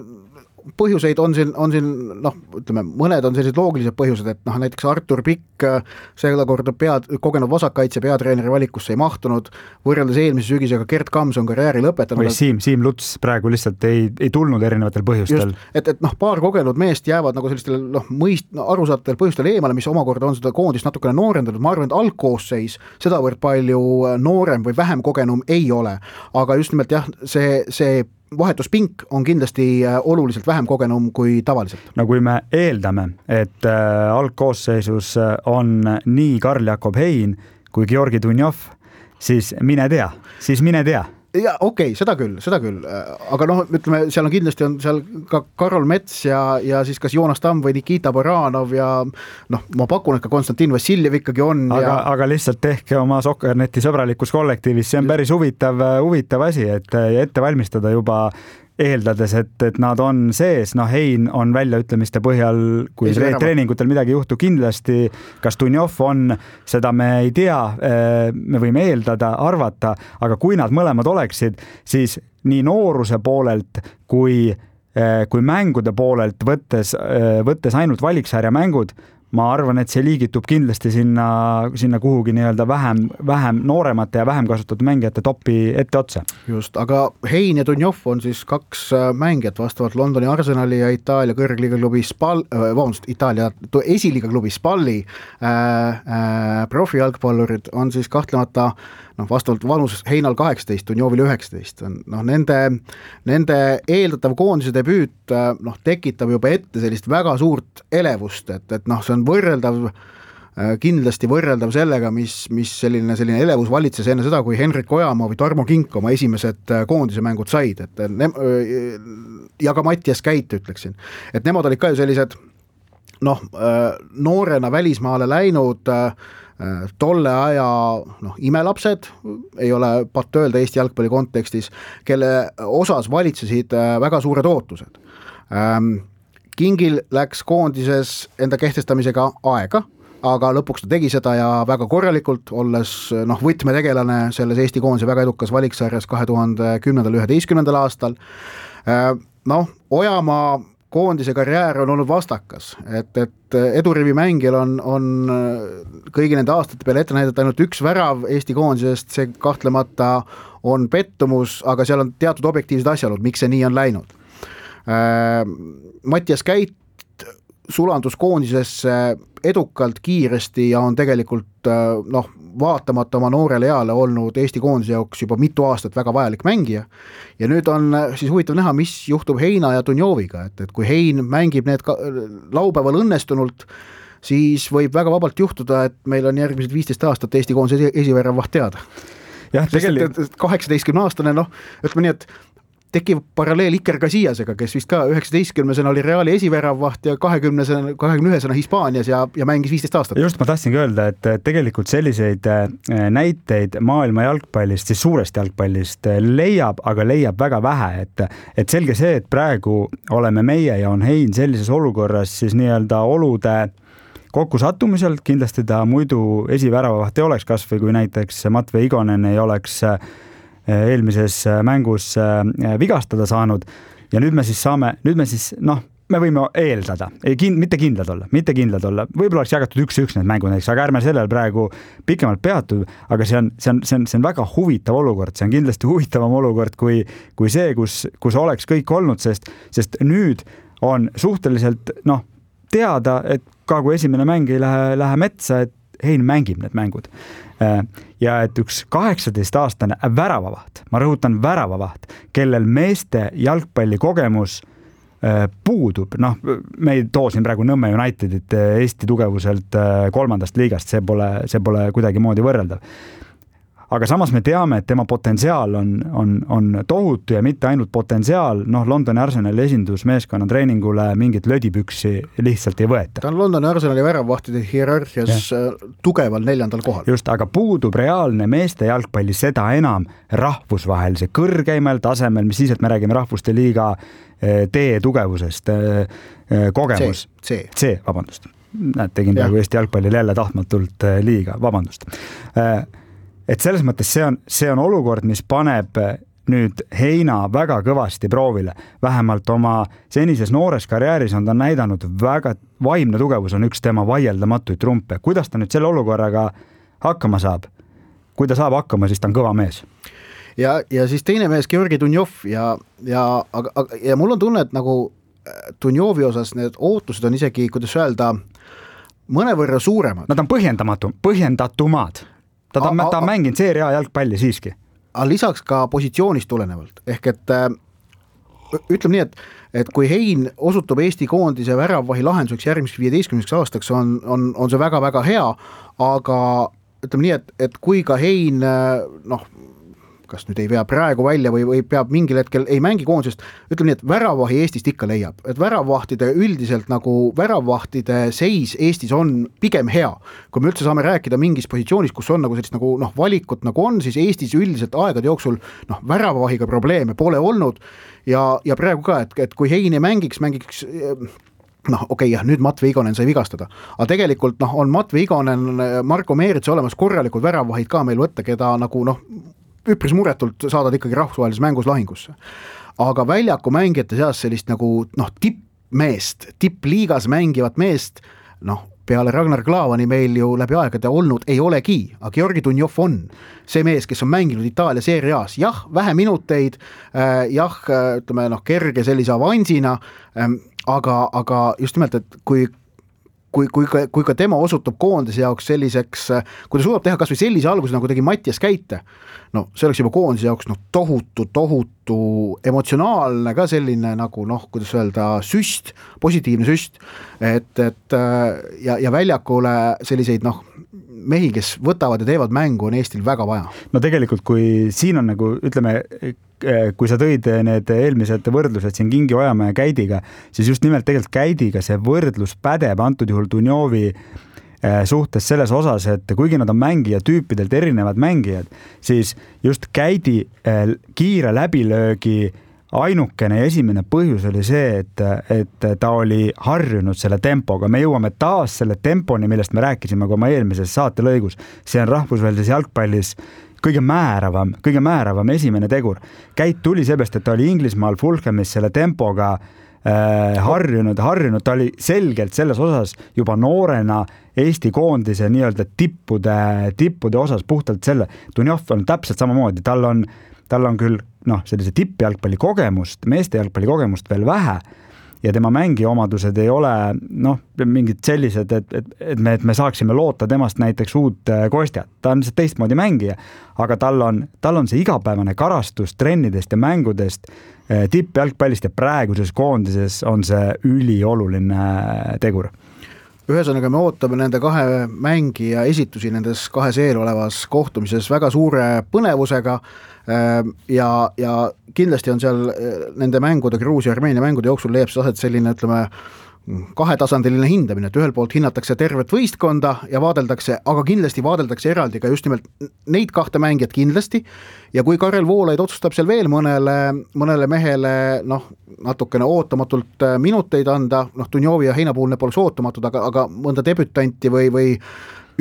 põhjuseid on siin, on siin noh, ütleme, mõned on sellised loogilised põhjused, et noh, näiteks Artur Pikk selle korda pead, kogenud vasakkaitse peatreeneri valikusse ei mahtunud, võrreldes eelmise sügisega Gert Kams on karjääri lõpetanud. Või Siim, Siim Luts praegu lihtsalt ei, ei tulnud erinevatel põhjustel. Just, et, et noh, paar kogenud meest jäävad nagu sellistel noh, mõist, no, arusaatatel põhjustel eemale, mis omakorda on seda koondist natukene noorendanud. Ma arvan, et algkoosseis sedavõrd palju noorem või vähem kogenum ei ole, aga just nimelt jah, see, see vahetuspink on kindlasti oluliselt vähem kogenum kui tavaliselt. No kui me eeldame, et äh, algkoosseisus on nii Karl Jakob Hein kui Georgi Dunjov, siis mine tea, siis mine tea. Ja okei, okay, seda küll, seda küll, aga noh, ütleme, seal on kindlasti on seal ka Karol Mets ja, ja siis kas Joonas Tamm või Nikita Baranov ja noh, ma pakun, et ka Konstantin Vassiljev ikkagi on. Aga, ja... aga lihtsalt tehke oma Sokkerneti sõbralikus kollektiivis, see on päris huvitav, huvitav asi, et ette valmistada juba eeldades, et, et nad on sees, noh Hein on väljaütlemiste põhjal, kui tre- treeningutel midagi juhtu kindlasti, kas Dunjov on, seda me ei tea, me võime eeldada, arvata, aga kui nad mõlemad oleksid, siis nii nooruse poolelt kui, kui mängude poolelt võttes, võttes ainult valiksarja mängud, ma arvan, et see liigitub kindlasti sinna, sinna kuhugi nii-öelda vähem, vähem nooremate ja vähem kasutatud mängijate topi ette otsa. Just, aga Hein ja Dunjov on siis kaks mängijat vastavalt Londoni Arsenali ja Itaalia kõrgliiga klubi Spal, äh, vabandust, Itaalia esiliiga klubi Spalli äh, äh, profijalgpallurid on siis kahtlemata noh, vastavalt vanus Heinal kaheksateist, Dunjovil üheksateist. Noh, nende, nende eeldatav koondise debüüt noh, tekitab juba ette sellist väga suurt elevust, et, et noh, see on võrreldav, kindlasti võrreldav sellega, mis, mis selline, selline elevus valitses enne seda, kui Henrik Ojamaa või Tarmo Kink oma esimesed koondise mängud said, et ne, ja ka Mattias Käit ütleksin, et nemad olid ka ju sellised noh, noorena välismaale läinud tolle aja noh, imelapsed, ei ole patt öelda Eesti jalgpalli kontekstis, kelle osas valitsesid väga suured ootused. Kingil läks koondises enda kehtestamisega aega, aga lõpuks ta tegi seda ja väga korralikult, olles noh, võtmetegelane selles Eesti koondise väga edukas valiksarjas kahe tuhande kümnendal üheteistkümnendal aastal. Noh, Ojamaa koondise karjäär on olnud vastakas, et, et edurivi mängijal on, on kõigi nende aastate peale ette näidata ainult üks värav Eesti koondisest, see kahtlemata on pettumus, aga seal on teatud objektiivsed asjaolud, miks see nii on läinud. Mattias Käit sulandus koondisesse edukalt, kiiresti ja on tegelikult noh, vaatamata oma noorele eale olnud Eesti koondise jaoks juba mitu aastat väga vajalik mängija. Ja nüüd on siis huvitav näha, mis juhtub Heina ja Dunjoviga, et, et kui Hein mängib need ka, laupäeval õnnestunult, siis võib väga vabalt juhtuda, et meil on järgmised viisteist aastat Eesti koondise esiväravaht teada. Jah, tegelikult kaheksateistkümne aastane, noh, ütleme nii, et tekib paralleel Iker Casillasega, kes vist ka üheksateistkümnesena oli Reali esiväravaht ja kahekümnesena, kahekümne ühesena Hispaanias ja, ja mängis viisteist aastat. Just ma tahtsingi öelda, et tegelikult selliseid näiteid maailma jalgpallist, siis suurest jalgpallist leiab, aga leiab väga vähe, et, et selge see, et praegu oleme meie ja on Hein sellises olukorras siis nii-öelda olude kokkusattumiselt, kindlasti ta muidu esiväravaht ei oleks, kas või kui näiteks Matvei Igonen ei oleks eelmises mängus vigastada saanud ja nüüd me siis saame, nüüd me siis, noh, me võime eeldada, ei, kin, mitte kindlad olla, mitte kindlad olla, võib-olla oleks jagatud üks-üks need mängud, aga ärme sellel praegu pikemalt peatu, aga see on, see on, see on, see on väga huvitav olukord, see on kindlasti huvitavam olukord kui, kui see, kus, kus oleks kõik olnud, sest, sest nüüd on suhteliselt, noh, teada, et ka kui esimene mäng ei lähe, lähe metsa, et Hein mängib need mängud. Ja et üks kaheksateist aastane väravavaht, ma rõhutan väravavaht, kellel meeste jalgpalli kogemus puudub, noh, me ei too siin praegu Nõmme Unitedit Eesti tugevuselt kolmandast liigast, see pole, see pole kuidagi moodi võrreldav. Aga samas me teame, et tema potentsiaal on, on, on tohutu ja mitte ainult potentsiaal, noh, Londoni Arsenali esindusmeeskonna treeningule mingit lödipüksi lihtsalt ei võeta. Ta on Londoni Arsenali väravvahtide hierarhias ja. tugeval neljandal kohal. Just, aga puudub reaalne meeste jalgpalli seda enam rahvusvahelise kõrgeimal tasemel, mis siis, et me räägime rahvuste liiga tee tugevusest, kogemus. C, C. C, vabandust. Näed, tegin praegu Eesti jalgpallil jälle tahtmatult liiga, vabandust. Et selles mõttes see on, see on olukord, mis paneb nüüd Heina väga kõvasti proovile. Vähemalt oma senises noores karjääris on ta näidanud väga vaimne tugevus on üks tema vaieldamatuid trumpe. Kuidas ta nüüd selle olukorraga hakkama saab? Kui ta saab hakkama, siis ta on kõva mees. Ja, ja siis teine mees, Georgi Dunjov ja, ja, aga, ja mul on tunne, et nagu Dunjovi osas need ootused on isegi, kuidas öelda, mõnevõrra suuremad. Nad on põhjendamatu, põhjendatumad. Ta on, ta on mänginud seeria jalgpalli siiski. Aga lisaks ka positsioonist tulenevalt. Ehk et ütleme nii, et, et kui Hein osutub Eesti koondise väravvahi lahenduseks järgmiseks viieteistkümneks aastaks, on, on, on see väga-väga hea, aga ütleme nii, et, et kui ka Hein, noh, kas nüüd ei vea praegu välja või, või peab mingil hetkel ei mängi koondisest, ütleme nii, et väravvahi Eestist ikka leiab, et väravvahtide üldiselt nagu väravvahtide seis Eestis on pigem hea. Kui me üldse saame rääkida mingis positsioonis, kus on nagu sellist nagu, noh, valikut nagu on, siis Eestis üldiselt aegade jooksul, noh, väravvahiga probleeme pole olnud ja, ja praegu ka, et, et kui Hein ei mängiks, mängiks noh, okei, okay, jah, nüüd Matvei Igonen sai vigastada, aga tegelikult noh, on Matvei Igonen, Marko Meerits olemas korralikud väravvahid ka meil võtta, keda nagu noh, üpris muretult saadad ikkagi rahvusvahelises mängus lahingusse. Aga väljaku mängijate seas sellist nagu noh, tippmeest, tippliigas mängivat meest, noh, peale Ragnar Klavani meil ju läbi aegade olnud ei olegi, aga Georgi Dunjov on see mees, kes on mänginud Itaalia seeria A's. Jah, vähe minuteid, jah, ütleme, noh, kerge sellise avansina, aga, aga just nimelt, et kui Kui, kui, ka, kui ka tema osutub koondise jaoks selliseks, kui ta suudab teha kas või sellise alguse, nagu tegi Mattias Käite, no see oleks juba koondise jaoks no, tohutu, tohutu emotsionaalne ka selline nagu noh, kuidas öelda, süst, positiivne süst, et, et ja, ja väljakule selliseid noh, mehi, kes võtavad ja teevad mängu, on Eestil väga vaja. No tegelikult, kui siin on nagu, ütleme, kui sa tõid need eelmised võrdlused siin Kingi Ojamäe ja Käidiga, siis just nimelt tegelikult Käidiga see võrdlus pädeb antud juhul Dunjovi suhtes selles osas, et kuigi nad on mängija tüüpidelt erinevad mängijad, siis just Käidi kiire läbilöögi ainukene ja esimene põhjus oli see, et, et ta oli harjunud selle tempoga. Me jõuame taas selle temponi, millest me rääkisime ka oma eelmises saatelõigus. See on rahvusvahelises jalgpallis kõige määravam, kõige määravam esimene tegur. Käit tuli seepärast, et ta oli Inglismaal Fulhamis selle tempoga äh, harjunud, harjunud, ta oli selgelt selles osas juba noorena Eesti koondise nii-öelda tippude, tippude osas puhtalt selle. Dunjov on täpselt samamoodi, tal on, tal on küll noh, sellise tippjalgpalli kogemust, meeste jalgpalli kogemust veel vähe, ja tema mängiomadused ei ole noh, mingid sellised, et, et, et, me, et me saaksime loota temast näiteks uut Kostjat. Ta on teistmoodi mängija, aga tal on, tal on see igapäevane karastus trennidest ja mängudest tippjalgpallist ja praeguses koondises on see ülioluline tegur. ühesõnaga me ootame nende kahe mängija esitusi nendes kahes eelolevas kohtumises väga suure põnevusega ja, ja kindlasti on seal nende mängude, Gruusia ja Armeenia mängude jooksul leiab see aset selline, ütleme, kahetasandiline hindamine, et ühel poolt hinnatakse tervet võistkonda ja vaadeldakse, aga kindlasti vaadeldakse eraldi ka just nimelt neid kahte mängijat kindlasti ja kui Karel Voolaid otsustab seal veel mõnele, mõnele mehele noh, natukene ootamatult minuteid anda, noh Dunjovi ja Heinapuulne poleks ootamatud, aga, aga mõnda debütanti või, või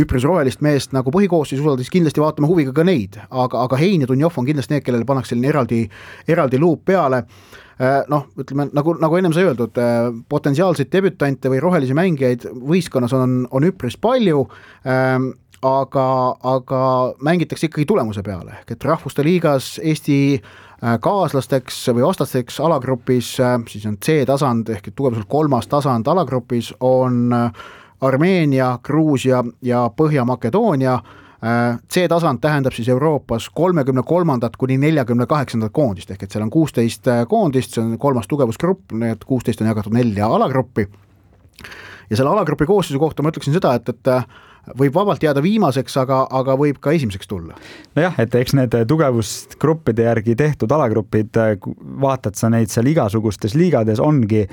üpris rohelist meest nagu põhikoosseis usaldis, kindlasti vaatame huviga ka neid, aga, aga Hein ja Dunjov on kindlasti need, kellele pannakse selline eraldi, eraldi luup peale. Noh, ütleme, nagu, nagu ennem sai öeldud, potentsiaalseid debütante või rohelisi mängijaid võistkonnas on, on üpris palju, aga, aga mängitakse ikkagi tulemuse peale, et rahvuste liigas Eesti kaaslasteks või vastasteks alagrupis, siis on C-tasand ehk tugevuselt kolmas tasand alagrupis on Armeenia, Gruusia ja Põhja-Makedoonia. C-tasand tähendab siis Euroopas kolmekümne kolmandat kuni neljakümne kaheksandat koondist, ehk et seal on kuusteist koondist, see on kolmas tugevusgrupp, need kuusteist on jagatud nelja alagruppi. Ja selle alagrupi koosseisu kohta ma ütleksin seda, et, et võib vabalt jääda viimaseks, aga, aga võib ka esimeseks tulla. Nojah, et eks need tugevusgruppide järgi tehtud alagrupid, vaatad sa neid seal igasugustes liigades, ongi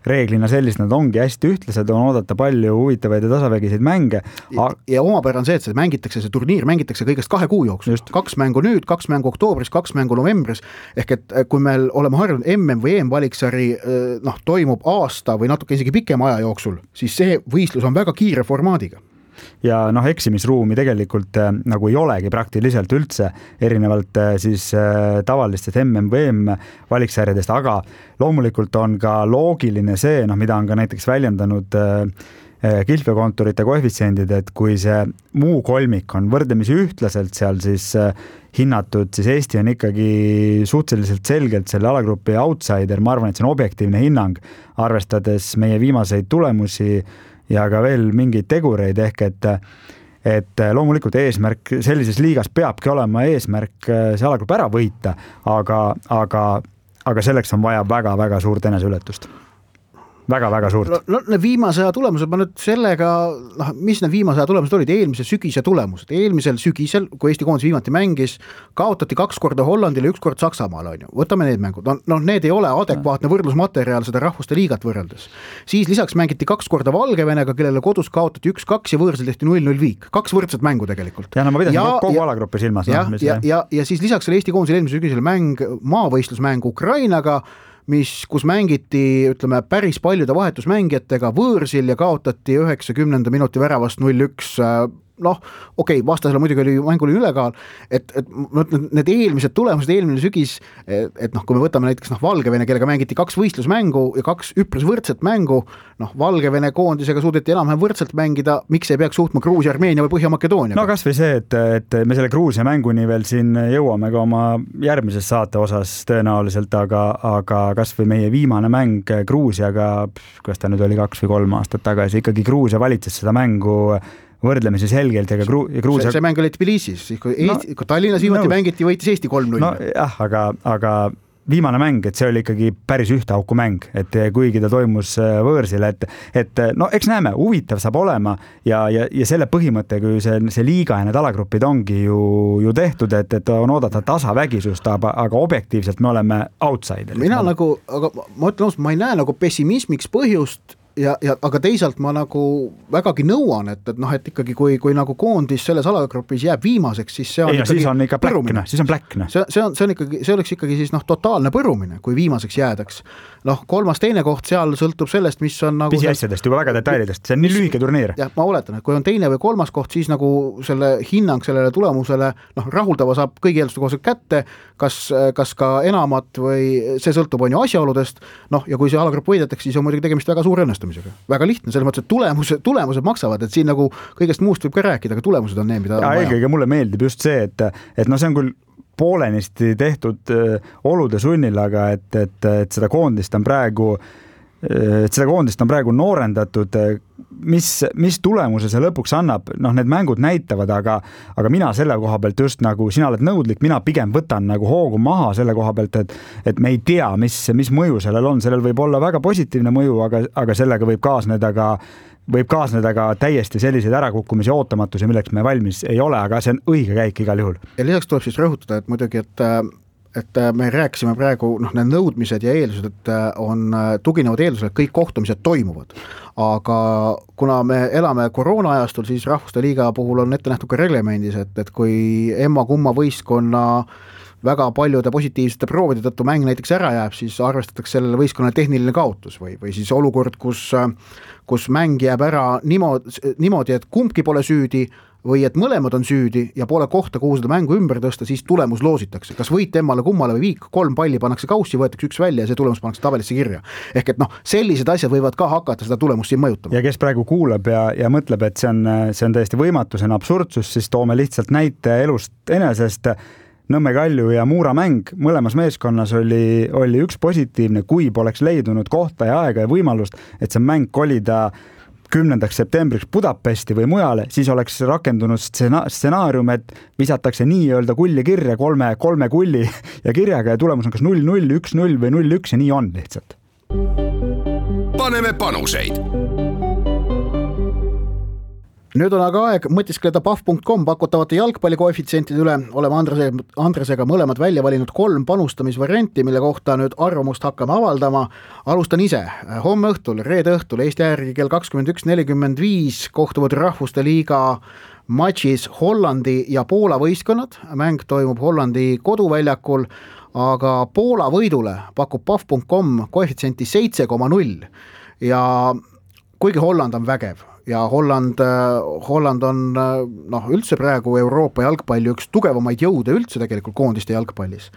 reeglina sellist, nad ongi hästi ühtlased, on oodata palju huvitavaid ja tasavägiseid mänge. Ja, ja omapära on see, et see mängitakse, see turniir mängitakse kõigest kahe kuu jooksul. Kaks mängu nüüd, kaks mängu oktoobris, kaks mängu novembris, ehk et kui meil oleme harjunud M M või E M valiksari noh, toimub aasta või natuke isegi pikema aja jooksul, siis see võistlus on väga kiire formaadiga. Ja noh, eksimisruumi tegelikult äh, nagu ei olegi praktiliselt üldse, erinevalt äh, siis äh, tavalistest M M või E M valiksarjadest, aga loomulikult on ka loogiline see, noh, mida on ka näiteks väljendanud äh, kilpekonturite koefitsiendid, et kui see muu kolmik on võrdlemisi ühtlaselt seal siis äh, hinnatud, siis Eesti on ikkagi suhteliselt selgelt selle alagrupi outsider, ma arvan, et see on objektiivne hinnang, arvestades meie viimaseid tulemusi ja ka veel mingeid tegureid, ehk et, et loomulikult eesmärk sellises liigas peabki olema eesmärk see alagrupp ära võita, aga, aga, aga selleks on vaja väga-väga suurt eneseületust. Väga-väga suurt. No, no need viimase aja tulemused, ma nüüd sellega, noh, mis need viimase aja tulemused olid, eelmise sügise tulemused. Eelmisel sügisel, kui Eesti koondis viimati mängis, kaotati kaks korda Hollandile, üks kord Saksamaal, on ju. Võtame need mängud. No, no need ei ole adekvaatne võrdlusmateriaal seda rahvuste liigat võrreldes. Siis lisaks mängiti kaks korda Valgevenega, kellele kodus kaotati üks kaks ja võõrsil tehti null null viik. Kaks võrdset mängu tegelikult. Ja no ma pidasin ja, kogu ja, alagrupi silmas. Ja, no, ja, ja, ja siis lisaks oli Eesti koondisel eelmise sügisel mäng, maavõistlusmäng Ukrainaga, mis, kus mängiti, ütleme, päris paljude vahetusmängijatega võõrsil ja kaotati üheksakümnenda minuti väravast null üks. Noh, okei, okay, vastasele muidugi oli mängul ülekaal, et, et need eelmised tulemused, eelmine sügis, et, et noh, kui me võtame näiteks noh, Valgevene, kellega mängiti kaks võistlusmängu ja kaks üpris võrdset mängu, noh, Valgevene koondisega suudeti enam-vähem võrdselt mängida, miks ei peaks suutma Gruusia, Armeenia või Põhja-Makedoonia? No kas või see, et, et me selle Gruusia mänguni veel siin jõuame ka oma järgmises saate osas tõenäoliselt, aga, aga kas või meie viimane mäng Gruusiaga, kas ta nüüd oli kaks või kolm aastat tagasi, ikkagi Gruusia valitses seda mängu võrdlemisi selgelt ja ka Gru- ja Gruusia... See, see mäng oli Tbilisis, kui, Eesti, no, kui Tallinnas viimati no, mängiti, võitis Eesti kolm null. No jah, aga, aga viimane mäng, et see oli ikkagi päris ühte auku mäng, et kuigi ta toimus võõrsil, et, et no eks näeme, huvitav saab olema ja, ja, ja selle põhimõtte, kui see, see liiga ja need alagrupid ongi ju, ju tehtud, et, et on oodata tasavägisust, aga, aga objektiivselt me oleme outsiderid. Mina ma... nagu, aga ma ütlen, ma ei näe nagu pessimismiks põhjust, Ja, ja, aga teisalt ma nagu vägagi nõuan, et, et noh, et ikkagi kui, kui nagu koondis selles alagrupis jääb viimaseks, siis see on ei, ikkagi siis on ikka pläkne, siis on pläkne. See, see, on, see, on ikkagi, see oleks ikkagi siis noh, totaalne põrumine, kui viimaseks jäädaks. Noh, kolmas teine koht seal sõltub sellest, mis on nagu... Pisiasjadest, juba väga detailidest, see on nii lühike turniir. Jah, ma oletan, et kui on teine või kolmas koht, siis nagu selle hinnang sellele tulemusele noh, rahuldava saab kõigi eelduste kohaselt kätte, kas, kas ka enamat või see sõltub on ju asjaoludest, noh, ja kui see alagrupp võidetakse, siis on muidugi tegemist väga suure õnnestumisega. Väga lihtne, selles mõttes, et tulemused, tulemused maksavad, et siin nagu kõigest muust võib ka rääkida, aga tulemused on need, mida ja eelkõige mulle meeldib just see, et, et no see on küll poolenisti tehtud olude sunnil, aga et, et, et seda koondist on praegu et seda koondist on praegu noorendatud, mis, mis tulemuse see lõpuks annab, noh need mängud näitavad, aga, aga mina selle koha pealt just nagu sina oled nõudlik, mina pigem võtan nagu hoogu maha selle koha pealt, et, et me ei tea, mis, mis mõju sellel on, sellel võib olla väga positiivne mõju, aga, aga sellega võib kaasneda ka võib kaasneda ka täiesti selliseid ärakukkumisi ootamatusi, milleks me valmis ei ole, aga see on õige käik igal juhul. Ja lisaks tuleb siis rõhutada, et muidugi, et et me rääkisime praegu, noh, need nõudmised ja eeldused, et on tuginevad eeldused, et kõik kohtumised toimuvad. Aga kuna me elame koroona ajastul, siis Rahvuste Liiga puhul on ette nähtud ka reglemendis, et, et kui emma-kumma võistkonna väga paljude positiivsete proovide tõttu mäng näiteks ära jääb, siis arvestatakse sellele võistkonnale tehniline kaotus või, või siis olukord, kus, kus mäng jääb ära niimoodi, niimoodi, et kumbki pole süüdi või et mõlemad on süüdi ja pole kohta, kuhu seda mängu ümber tõsta, siis tulemus loositakse. Kas võit emmale kummale või viik, kolm palli pannakse kaussi, võetakse üks välja ja see tulemus pannakse tabelisse kirja. Ehk et noh, sellised asjad võivad ka hakata seda tulemust siin mõjutama. Ja kes praegu kuulab ja, ja mõtleb, et see on, see on täiesti võimatu, see on absurdsus, siis toome lihtsalt näite elust enesest. Nõmme Kalju ja Muura mäng mõlemas meeskonnas oli, oli üks positiivne, kui poleks leidunud kohta ja aega ja võimalust, et see mäng kolida kümnendaks septembriks Budapesti või mujale, siis oleks rakendunud stsenaarium, et visatakse nii-öelda kulli kirja kolme, kolme kulli ja kirjaga ja tulemus on kas null null, üks null või null üks ja nii on lihtsalt. Paneme panuseid. Nüüd on aga aeg mõtiskleda pahv punkt com pakutavate jalgpallikoefitsientide üle. Oleme Andrese, Andresega mõlemad välja valinud kolm panustamisvarianti, mille kohta nüüd arvamust hakkame avaldama. Alustan ise. Homme õhtul, reede õhtul, Eesti järgi kell kakskümmend üks nelikümmend viis kohtuvad Rahvuste Liiga matšis Hollandi ja Poola võistkonnad. Mäng toimub Hollandi koduväljakul, aga Poola võidule pakub pahv punkt com koefitsienti seitse koma null ja kuigi Holland on vägev ja Holland, Holland on noh, üldse praegu Euroopa jalgpalli üks tugevamaid jõude üldse tegelikult koondiste jalgpallis,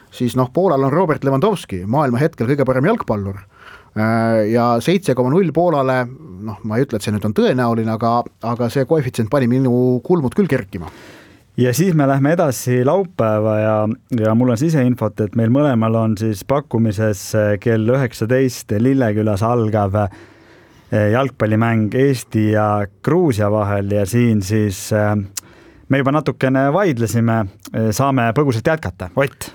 siis noh, Poolal on Robert Lewandowski, maailma hetkel kõige parem jalgpallur ja seitse koma null Poolale, noh, ma ei ütle, et see nüüd on tõenäoline, aga, aga see koefitsient pani minu kulmud küll kerkima. Ja siis me lähme edasi laupäeva ja, ja mul on siseinfot, et meil mõlemal on siis pakkumises kell üheksateist Lillekülas algav jalgpallimäng Eesti ja Gruusia vahel ja siin siis me juba natukene vaidlesime, saame põgusalt jätkata. Ott?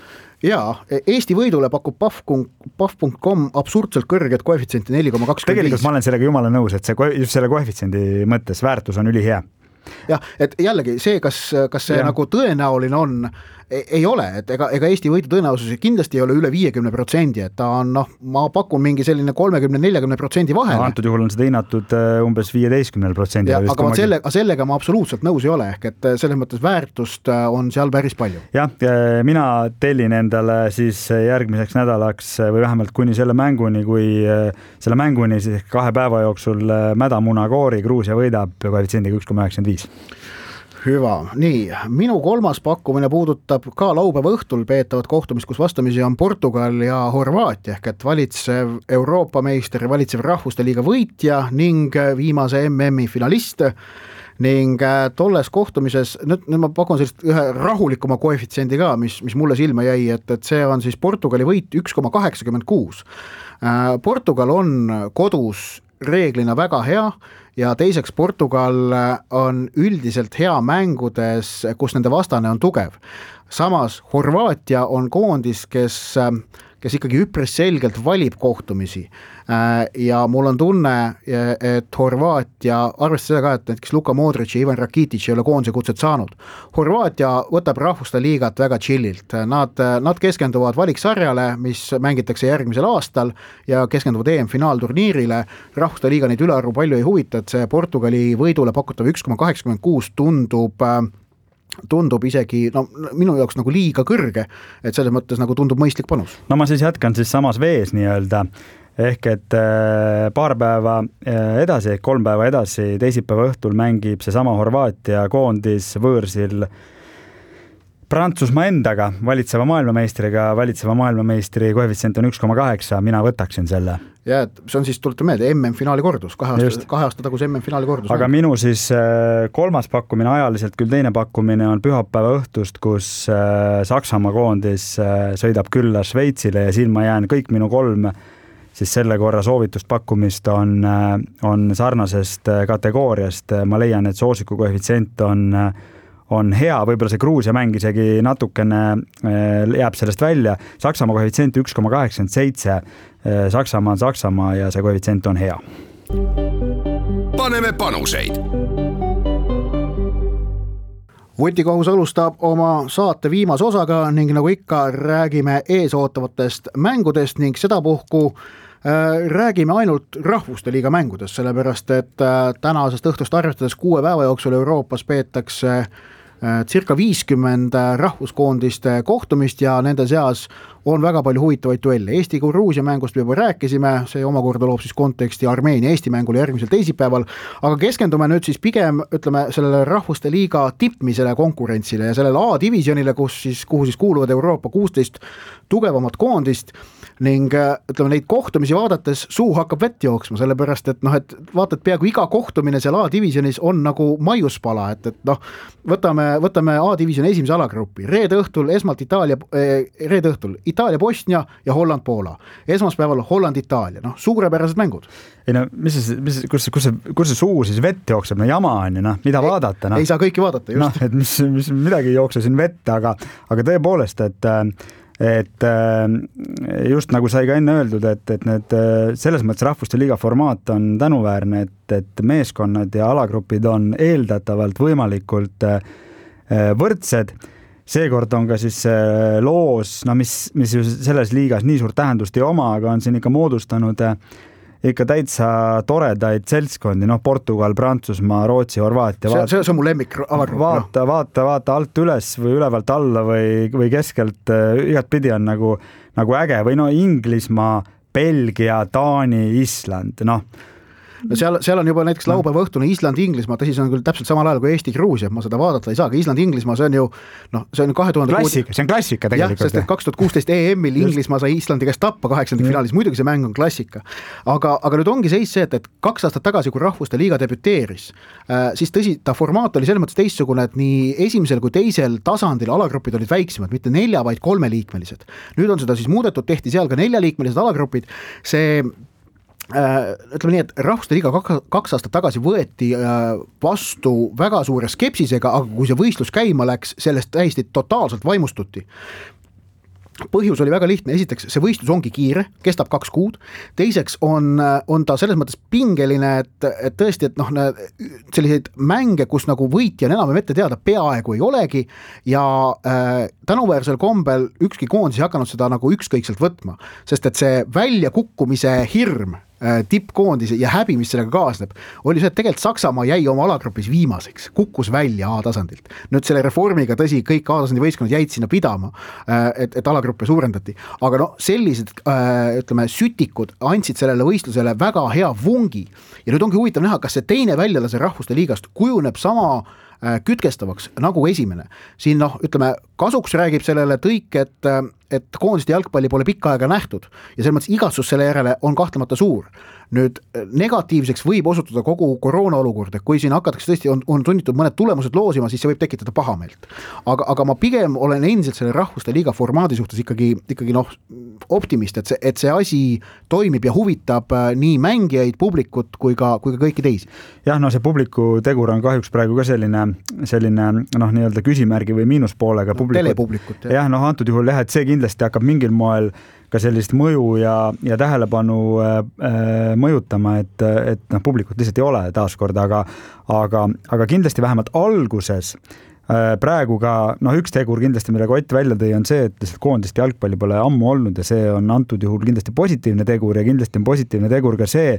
Jaa, Eesti võidule pakub pahv punkt com absurdselt kõrget koefitsienti neli koma kakskümmend viis. Tegelikult ma olen sellega jumala nõus, et see, just selle koefitsiendi mõttes väärtus on ülihea. Jah, et jällegi see, kas, kas see ja. nagu tõenäoline on, ei ole, et ega, ega Eesti võidu tõenäosus kindlasti ei ole üle viiekümne protsendi, et ta on, noh, ma pakun mingi selline kolmekümne nelikümmend protsendi vahel. No, antud juhul on seda hinnatud umbes viieteistkümne protsendi. Ja, aga selle, sellega ma absoluutselt nõus ei ole, ehk et selles mõttes väärtust on seal päris palju. Jah, mina tellin endale siis järgmiseks nädalaks või vähemalt kuni selle mänguni, kui selle mänguni siis kahe päeva jooksul Mädamuna Koori Gruusia võidab koefitsiendiga üks koma üheksakümmend viis. Hüva, nii, minu kolmas pakkumine puudutab ka laupäeva õhtul peetavat kohtumist, kus vastamisi on Portugal ja Horvaatia, ehk et valitsev Euroopa meister, valitsev Rahvuste Liiga võitja ning viimase M M-i finalist ning tolles kohtumises, nüüd, nüüd ma pakun sellist ühe rahulikuma koefitsiendi ka, mis, mis mulle silma jäi, et, et see on siis Portugali võit üks koma kaheksakümmend kuus. Portugal on kodus reeglina väga hea ja teiseks Portugal on üldiselt hea mängudes, kus nende vastane on tugev. Samas Horvaatia on koondis, kes, kes ikkagi üpris selgelt valib kohtumisi ja mul on tunne, et Horvaatia, arvestades seda ka, et näiteks Luka Modric ja Ivan Rakitic ei ole koondise kutset saanud. Horvaatia võtab Rahvuste Liigat väga chillilt. Nad, nad keskenduvad valiksarjale, mis mängitakse järgmisel aastal ja keskenduvad E M-finaalturniirile. Rahvuste Liiga neid ülearvu palju ei huvita, et see Portugali võidule pakutav üks koma kaheksakümmend kuus tundub tundub isegi, no minu jaoks nagu liiga kõrge, et selles mõttes nagu tundub mõistlik panus. No ma siis jätkan siis samas vees nii-öelda, ehk et paar päeva edasi, kolm päeva edasi, teisipäeva õhtul mängib see sama Horvaatia koondis võõrsil Prantsusmaa endaga, valitseva maailmameistriga, valitseva maailmameistri koefitsient on üks koma kaheksa, mina võtaksin selle. Ja, et see on siis, tuletan meelde, M M-finaali kordus, kahe aasta, kahe aasta tagus M M-finaali kordus. Aga minu siis kolmas pakkumine ajaliselt, küll teine pakkumine on pühapäeva õhtust, kus Saksamaa koondis sõidab külla Šveitsile ja siin ma jään kõik minu kolm siis selle korra soovitust pakkumist on, on sarnasest kategooriast. Ma leian, et soosiku koefitsient on on hea, võib-olla see Gruusia mäng isegi natukene jääb sellest välja. Saksamaa koefitsient üks koma kaheksakümmend seitse, Saksamaa on Saksamaa ja see koefitsient on hea. paneme panuseid. Vutikohus alustab oma saate viimase osaga ning nagu ikka räägime eesootavatest mängudest ning sedapuhku äh, räägime ainult rahvuste liiga mängudest, sellepärast et äh, tänasest õhtust arvestades kuue päeva jooksul Euroopas peetakse circa viiskümmend rahvuskoondiste kohtumist ja nende seas on väga palju huvitavaid duelle. Eesti-Gruusia mängust me juba rääkisime, see omakorda loob siis konteksti Armeenia-Eesti mängule järgmisel teisipäeval, aga keskendume nüüd siis pigem ütleme sellele rahvuste liiga tippmisele konkurentsile ja sellele A-divisjonile, kus siis, kuhu siis kuuluvad Euroopa kuusteist tugevamat koondist ning ütleme neid kohtumisi vaadates suu hakkab vett jooksma, sellepärast et noh, et vaatad peaaegu iga kohtumine seal A-divisjonis on nagu maiuspala, et, et noh, võtame, võtame A-divisjoni esimese alagrupi, reede õhtul esmalt Itaalia, reede õhtul Itaalia-Bosnia ja Holland-Poola, esmaspäeval Holland-Itaalia, noh, suurepärased mängud. Ei no, mis see, mis, kus, kus, see, kus see suu siis vett jookseb, no jama on ju, noh, mida ei, vaadata? No. Ei saa kõiki vaadata, just. No, et mis, mis midagi ei jookse siin vette, aga, aga tõepoolest, et et just nagu sai ka enne öeldud, et, et need selles mõttes rahvuste liiga formaat on tänuväärne, et, et meeskonnad ja alagrupid on eeldatavalt võimalikult võrdsed. Seekord on ka siis loos, no mis, mis selles liigas nii suurt tähendust ei oma, aga on siin ikka moodustanud ikka täitsa toredaid seltskondi, noh Portugal, Prantsusmaa, Rootsi, Horvaatia. See, see, see on mu lemmik alagrupp. Vaata, no. vaata, vaata alt üles või ülevalt alla või, või keskelt äh, igat pidi on nagu, nagu äge või no Inglismaa, Belgia, Taani, Island, noh. No seal, seal on juba näiteks laupäeva õhtune Island-Inglismaa, tõsi, see on küll täpselt samal ajal kui Eesti-Gruusia, ma seda vaadata ei saa, aga Island-Inglismaa, see on ju noh, see on kahe tuhande klassika, see on klassika tegelikult. Jah, sest et kaks tuhat kuusteist E M-il Inglismaa sai Islandi käest tappa kaheksandik finaalis, muidugi see mäng on klassika. Aga, aga nüüd ongi seis see, et, et kaks aastat tagasi, kui rahvuste liiga debüteeris, äh, siis tõsi, ta formaat oli selles mõttes teistsugune, et nii esimesel kui teisel tasandil alagrupid olid väiksemad, mitte nelja, vaid kolmeliikmelised. Nüüd on seda siis muudetud, tehti seal ka neljaliikmelised alagrupid, see ütleme nii, et rahvuste liiga kaks aastat tagasi võeti vastu väga suure skepsisega, aga kui see võistlus käima läks, sellest täiesti totaalselt vaimustuti. Põhjus oli väga lihtne, esiteks see võistlus ongi kiire, kestab kaks kuud, teiseks on, on ta selles mõttes pingeline, et, et tõesti, et noh, selliseid mänge, kus nagu võitja on enam ette teada, peaaegu ei olegi ja äh, tänuväärsel kombel ükski koondis ei hakanud seda nagu ükskõikselt võtma, sest et see väljakukkumise hirm tippkoondise ja häbi, mis sellega kaasneb, oli see, et tegelikult Saksamaa jäi oma alagrupis viimaseks, kukkus välja A-tasandilt. Nüüd selle reformiga tõsi, kõik A-tasandi võistkonnad jäid sinna pidama, et, et alagruppe suurendati, aga no sellised ütleme, sütikud andsid sellele võistlusele väga hea vungi ja nüüd ongi huvitav näha, kas see teine väljalase rahvuste liigast kujuneb sama kütkestavaks nagu esimene. Siin noh, ütleme, kasuks räägib sellele tõik, et, et koondiste jalgpalli pole pikka aega nähtud ja selles mõttes igatsus selle järele on kahtlemata suur. Nüüd negatiivseks võib osutuda kogu koroona olukord, et kui siin hakatakse tõesti on, on sunnitud mõned tulemused loosima, siis see võib tekitada pahameelt. Aga, aga ma pigem olen endiselt selle rahvuste liiga formaadi suhtes ikkagi, ikkagi noh, optimist, et see, et see asi toimib ja huvitab nii mängijaid, publikut kui ka, kui ka kõiki teisi. Jah, no see publiku tegur on kahjuks praegu ka selline, selline noh, nii-öelda küsimärgi või miinuspoolega no, telepublikut. Jah, noh, antud juhul jah, et see kindlasti hakkab mingil moel ka sellist mõju ja, ja tähelepanu äh, mõjutama, et, et noh, publikut lihtsalt ei ole taaskord, aga, aga, aga kindlasti vähemalt alguses äh, praegu ka, noh, üks tegur kindlasti, millega Ott välja tõi, on see, et lihtsalt koondist jalgpalli pole ammu olnud ja see on antud juhul kindlasti positiivne tegur ja kindlasti on positiivne tegur ka see,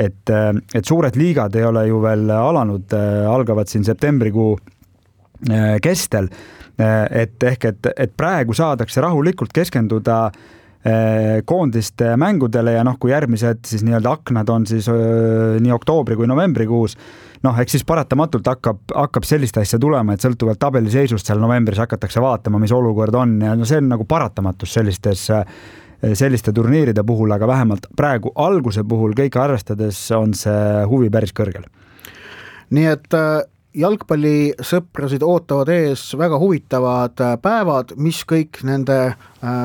et, et suured liigad ei ole ju veel alanud, algavad siin septembrikuu äh, kestel, et ehk, et, et praegu saadakse rahulikult keskenduda koondiste mängudele ja noh, kui järgmised siis nii-öelda aknad on siis öö, nii oktoobri kui novembrikuus, noh, eks siis paratamatult hakkab, hakkab sellist asja tulema, et sõltuvalt tabeliseisust seal novembris hakatakse vaatama, mis olukord on ja no see on nagu paratamatus sellistes, selliste turniiride puhul, aga vähemalt praegu alguse puhul kõike arvestades on see huvi päris kõrgel. Nii et jalgpallisõprasid ootavad ees väga huvitavad päevad, mis kõik nende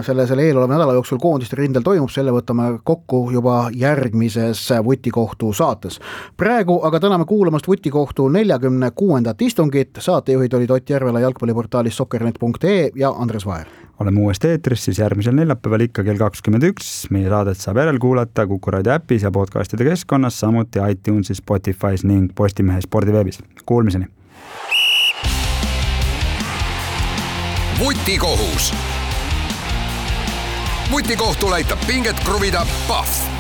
selle, selle eeloleva nädala jooksul koondiste rindel toimub, selle võtame kokku juba järgmises Vutikohtu saates. Praegu aga täname kuulamast Vutikohtu neljakümne kuuendat istungit, saatejuhid olid Ott Järvela jalgpalliportaalis soccernet punkt ee ja Andres Vaher. Oleme uuesti eetris siis järgmisel neljapäeval ikka kell kakskümmend üks. Meie saadet saab järel kuulata Kuku Raadio äpis ja podcastide keskkonnas, samuti iTunesis, Spotify's ning Postimehe spordiveebis. Kuulmiseni! Vutikohus. Vutikohtul aitab pinget kruvida Pahv.